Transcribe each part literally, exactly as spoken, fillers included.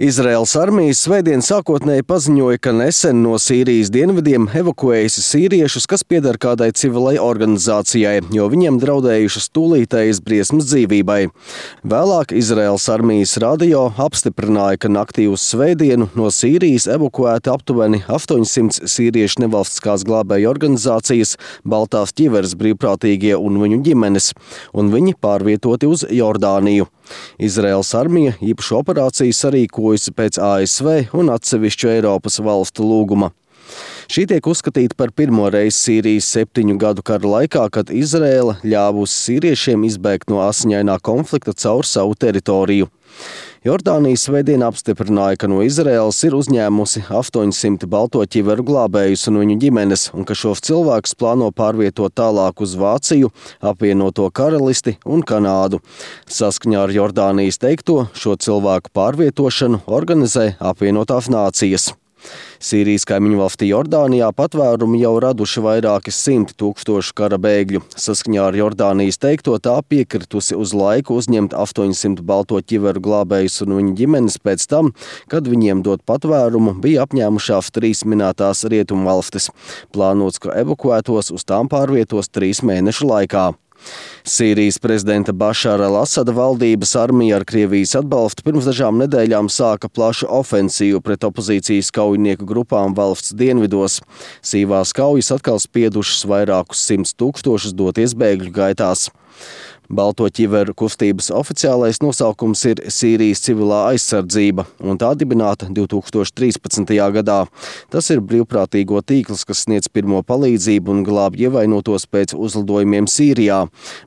Izraēlas armija svētdien sākotnēji paziņoja, ka nesen no Sīrijas dienvidiem evakuējusi sīriešus, kas pieder kādai civilai organizācijai, jo viņiem draudējušas tūlītējas briesmas dzīvībai. Vēlāk Izraēlas armijas radio apstiprināja, ka naktī uz svētdienu no Sīrijas evakuēti aptuveni astoņsimt sīriešu nevalstiskās glābēju organizācijas Baltās ķiveres brīvprātīgie un viņu ģimenes, un viņi pārvietoti uz Jordāniju. Izraēlas armija īpašu operāciju sarīkojusi pēc A S V un atsevišķu Eiropas valstu lūguma. Šī tiek uzskatīta par pirmo reizi Sīrijas septiņu gadu kara laikā, kad Izraēla ļāvusi sīriešiem izbēgt no asiņainā konflikta caur savu teritoriju. Jordānija svētdien apstiprināja, ka no Izraēlas ir uzņēmusi astoņsimt balto ķiveru glābējus un viņu ģimenes, un ka šos cilvēkus plāno pārvietot tālāk uz Vāciju, apvienoto karalisti un Kanādu. Saskaņā ar Jordānijas teikto, šo cilvēku pārvietošanu organizē apvienotās nācijas. Sīrijas kaimiņu valstī Jordānijā patvērumu jau raduši vairāki simti tūkstošu kara bēgļu. Saskaņā ar Jordānijas teikto, tā piekritusi uz laiku uzņemt astoņsimt balto ķiveru glābējus un viņu ģimenes pēc tam, kad viņiem dot patvērumu, bija apņēmušās trīs minētās rietumvalstis. Plānots, ka evakuētos uz tām pārvietos trīs mēnešu laikā. Sīrijas prezidenta Bašara al-Asada valdības armija ar Krievijas atbalstu pirms dažām nedēļām sāka plašu ofensīvu pret opozīcijas kaujinieku grupām valsts dienvidos. Sīvās kaujas atkal spiedušas vairākus simtus tūkstošus doties bēgļu gaitās. Balto ķiveru kustības oficiālais nosaukums ir Sīrijas civilā aizsardzība, un tā dibināta divi tūkstoši trīspadsmitajā gadā. Tas ir brīvprātīgo tīkls, kas sniedz pirmo palīdzību un glābj ievainotos pēc uzlidojumiem Sīrijā.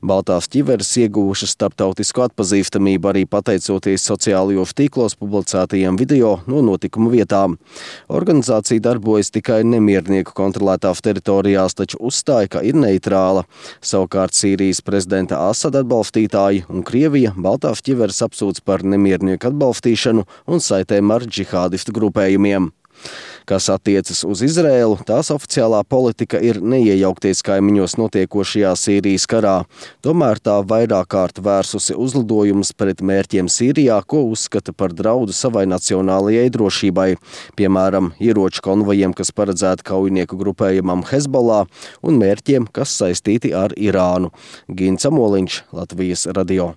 Baltās ķiveres ieguvušas starptautisku atpazīstamību arī pateicoties sociālajos tīklos publicētajiem video no notikuma vietām. Organizācija darbojas tikai nemiernieku kontrolētās teritorijās, taču uzstāja, ka ir neitrāla. Savukārt Sīrijas prezidenta Asada atbalstītāji un Krievija Baltās ķiveres apsūdz par nemiernieku atbalstīšanu un saitēm ar džihādistu grupējumiem. Kas attiecas uz Izraēlu, tās oficiālā politika ir neiejaukties kaimiņos notiekošajā Sīrijas karā. Tomēr tā vairāk kārt vērsusi uzlidojumus pret mērķiem Sīrijā, ko uzskata par draudu savai nacionālajai drošībai. Piemēram, ieroču konvojiem, kas paredzēti kaujinieku grupējumam Hezbollah, un mērķiem, kas saistīti ar Irānu. Gins Amoliņš, Latvijas radio.